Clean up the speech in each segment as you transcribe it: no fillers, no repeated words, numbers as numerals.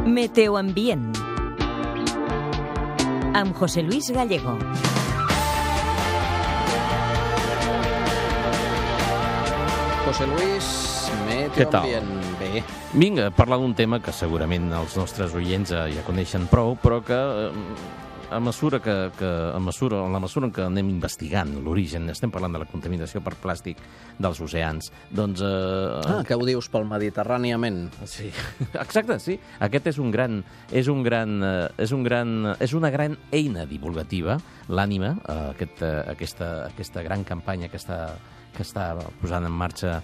Meteoambient amb José Luis Gallego. José Luis, Meteoambient. Bé. Vinga, parlar d'un tema que segurament els nostres oients ja coneixen prou, però que en la mesura en què anem investigant l'origen, estem parlant de la contaminació per plàstic dels oceans, doncs... Què ho dius pel Mediterràniament? Sí, exacte, sí. Aquest és una gran eina divulgativa, l'Ànima, aquesta gran campanya que està posant en marxa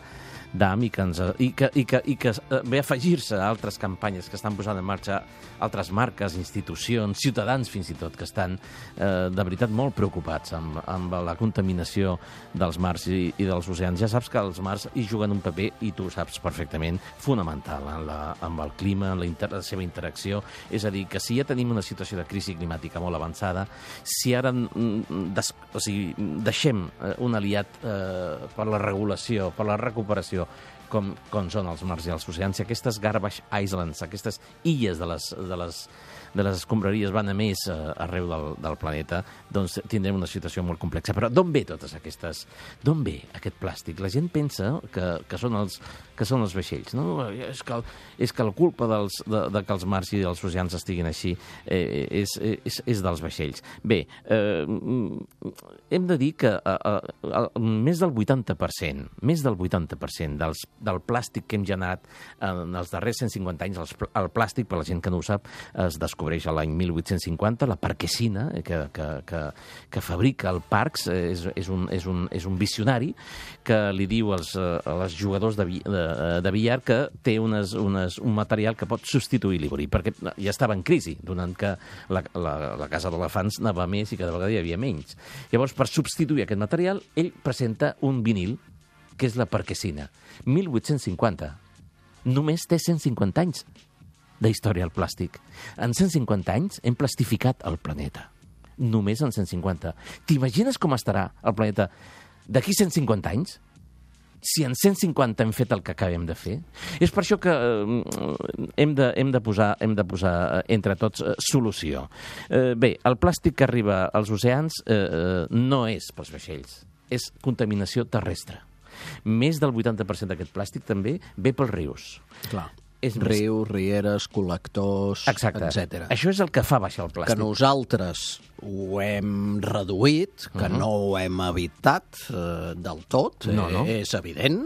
DAM i que ve a afegir-se a altres campanyes que estan posant en marxa altres marques, institucions, ciutadans fins i tot, que estan de veritat molt preocupats amb la contaminació dels mars i dels oceans. Ja saps que els mars hi juguen un paper, i tu ho saps perfectament, fonamental amb el clima, en la seva interacció. És a dir, que si ja tenim una situació de crisi climàtica molt avançada, si ara deixem un aliat per la regulació, per la recuperació, com són els mars i els oceans, si aquestes garbage islands, aquestes illes de les escombraries van a més arreu del planeta, doncs tindrem una situació molt complexa. Però d'on ve totes aquestes... D'on ve aquest plàstic? La gent pensa que són els vaixells, no? És que la culpa de que els mars i els oceans estiguin així és dels vaixells. Bé, hem de dir que més del 80% del plàstic que hem generat en els darrers 150 anys, el plàstic, per la gent que no ho sap, es descobreix a l'any 1850, la Parkesina, que fabrica el Parks, és un visionari que li diu als jugadors de billar que té un material que pot substituir l'ivori, perquè ja estava en crisi, donant que la casa d'elefants anava més i cada vegada hi havia menys. Llavors, per substituir aquest material, ell presenta un vinil, que és la Parkesina. 1850. Només té 150 anys d'història al plàstic. En 150 anys hem plastificat el planeta. Només en 150. T'imagines com estarà el planeta d'aquí 150 anys? Si en 150 hem fet el que acabem de fer? És per això que hem de posar entre tots solució. Bé, el plàstic que arriba als oceans no és pels vaixells, és contaminació terrestre. Més del 80% d'aquest plàstic també ve pels rius. Clar. Rius, rieres, col·lectors, etc. Això és el que fa baixar el plàstic. Que nosaltres ho hem reduït, que no ho hem evitat del tot, és evident,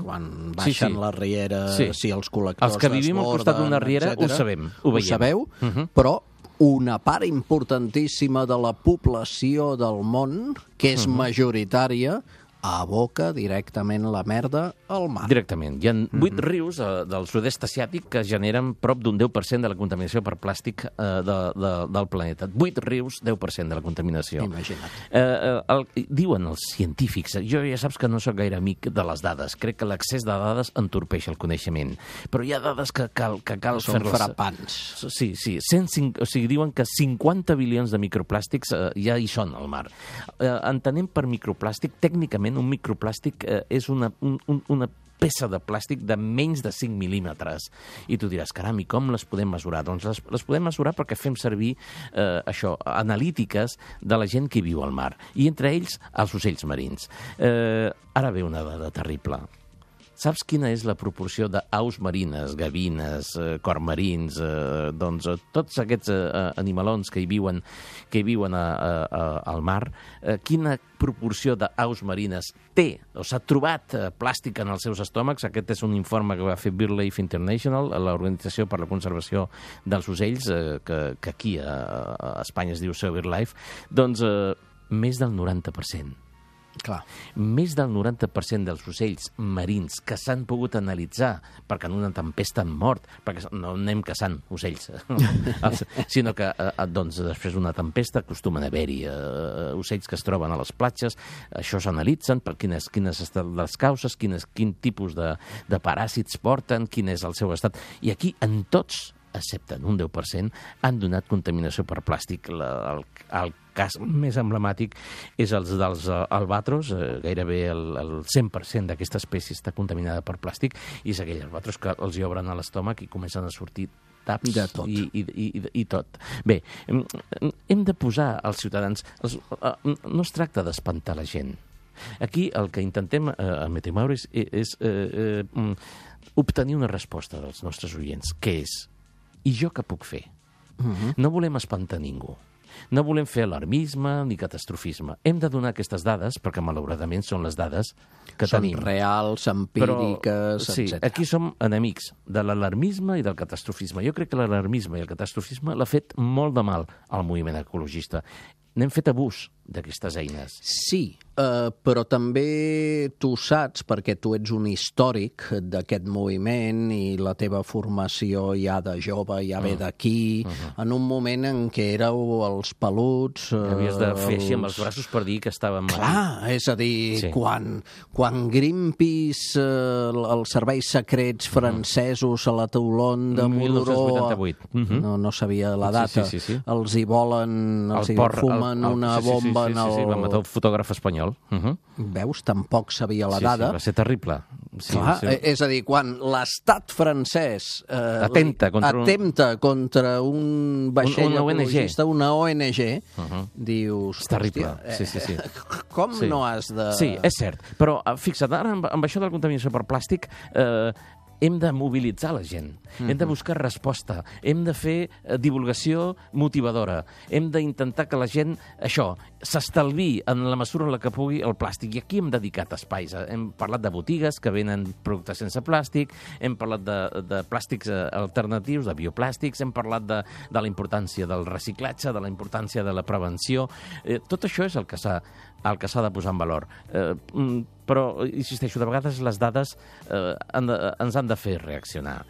quan baixen les rieres i els col·lectors... Els que vivim al costat d'una riera ho sabem, ho veiem. Ho sabeu, però una part importantíssima de la població del món, que és majoritària, aboca directament la merda al mar. Directament. Hi ha 8 rius del sud-est asiàtic que generen prop d'un 10% de la contaminació per plàstic del planeta. 8 rius, 10% de la contaminació. Imagina't. Diuen els científics, jo ja saps que no soc gaire amic de les dades, crec que l'accés de dades entorpeix el coneixement, però hi ha dades que cal fer-les... Són frapants. Sí. O sigui, diuen que 50 bilions de microplàstics ja hi són al mar. Entenem per microplàstic, tècnicament, un microplàstic és una peça de plàstic de menys de 5 mil·límetres. I tu diràs, caram, i com les podem mesurar? Doncs les podem mesurar perquè fem servir analítiques de la gent que viu al mar, i entre ells els ocells marins. Ara ve una dada terrible. Saps quina és la proporció d'aus marines, gavines, cormarins, doncs tots aquests animalons que hi viuen al mar, quina proporció d'aus marines té o s'ha trobat plàstic en els seus estómacs? Aquest és un informe que va fer BirdLife International, l'Organització per la Conservació dels Ocells, que aquí a Espanya es diu BirdLife, doncs més del 90%. Clar. Més del 90% dels ocells marins que s'han pogut analitzar, perquè en una tempesta han mort, perquè no anem caçant ocells, sinó que doncs, després d'una tempesta acostumen a haver-hi ocells que es troben a les platges, això s'analitzen per quines estan les causes, quin tipus de paràsits porten, quin és el seu estat. I aquí, en tots excepte en un 10%, han donat contaminació per plàstic. El cas més emblemàtic és el dels albatros, gairebé el 100% d'aquesta espècie està contaminada per plàstic, i és aquell albatros que els hi obren a l'estómac i comencen a sortir taps i tot. Bé, hem de posar als ciutadans... No es tracta d'espantar la gent. Aquí el que intentem a Meteomaure és obtenir una resposta dels nostres oients, que és: i jo què puc fer? No volem espantar ningú. No volem fer alarmisme ni catastrofisme. Hem de donar aquestes dades, perquè malauradament són les dades que tenim. Són reals, empíriques, etc. Sí, aquí som enemics de l'alarmisme i del catastrofisme. Jo crec que l'alarmisme i el catastrofisme l'ha fet molt de mal al moviment ecologista. N'hem fet abús d'aquestes eines. Sí, però també tu saps, perquè tu ets un històric d'aquest moviment i la teva formació ja de jove ja ve d'aquí, en un moment en què éreu els peluts... Havies de fer així amb els braços per dir que estàvem... Clar, és a dir, quan Greenpeace, els serveis secrets francesos a la Toulon de Moldoró... 1988. No sabia la data. Els hi volen, els hi fumen una bomba en el... Sí, va matar un fotògraf espanyol. Veus? Tampoc sabia la dada. Sí, va ser terrible. Clar, és a dir, quan l'estat francès atempta contra un vaixell ecologista, una ONG, dius... És terrible, sí. Com no has de... Sí, és cert. Però fixa't, ara amb això de la contaminació per plàstic... hem de mobilitzar la gent, hem de buscar resposta, hem de fer divulgació motivadora, hem d'intentar que la gent, això, s'estalvi en la mesura en la que pugui el plàstic. I aquí hem dedicat espais. Hem parlat de botigues que venen productes sense plàstic, hem parlat de plàstics alternatius, de bioplàstics, hem parlat de la importància del reciclatge, de la importància de la prevenció. Tot això és el que s'ha de posar en valor. Però, insisteixo, de vegades les dades ens han de fer reaccionar.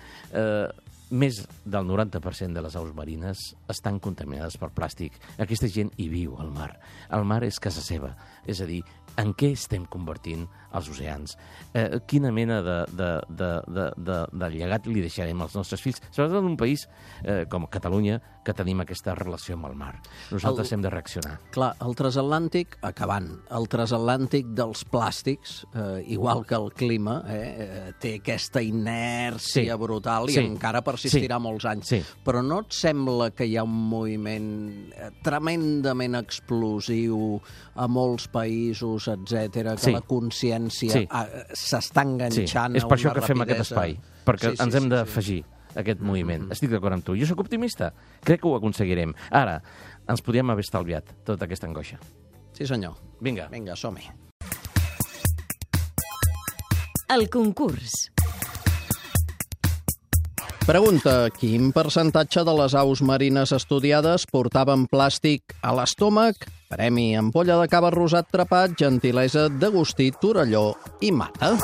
Més del 90% de les aus marines estan contaminades per plàstic. Aquesta gent hi viu al mar. El mar és casa seva. És a dir, en què estem convertint els oceans? Quina mena de llegat li deixarem als nostres fills? Sobretot en un país com Catalunya, que tenim aquesta relació amb el mar. Nosaltres hem de reaccionar. Clar, el transatlàntic, acabant, el transatlàntic dels plàstics, igual que el clima, té aquesta inèrcia brutal i encara persistirà molts anys. Però no et sembla que hi ha un moviment tremendament explosiu a molts països, etc, que la consciència s'està enganxant a una rapidesa... És per això que fem aquest espai, perquè ens hem d'afegir aquest moviment. Estic d'acord amb tu. Jo soc optimista. Crec que ho aconseguirem. Ara, ens podríem haver estalviat tota aquesta angoixa. Sí, senyor. Vinga, som-hi. El concurs. Pregunta: quin percentatge de les aus marines estudiades portaven plàstic a l'estómac? Premi: ampolla de cava rosat trepat, gentilesa d'Agustí Torelló i Mata.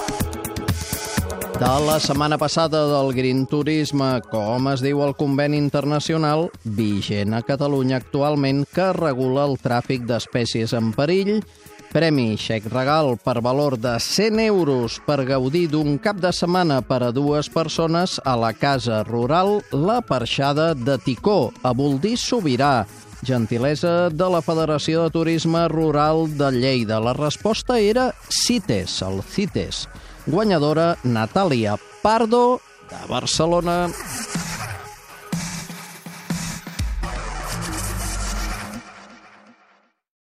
De la setmana passada del Green Turisme, com es diu el conveni internacional vigent a Catalunya actualment que regula el tràfic d'espècies en perill? Premi: xec regal per valor de 100 euros per gaudir d'un cap de setmana per a 2 persones a la Casa Rural La Perxada de Ticó, a Boldís Sobirà. Gentilesa de la Federació de Turisme Rural de Lleida. La resposta era CITES, el CITES. Guanyadora Natàlia Pardo, de Barcelona.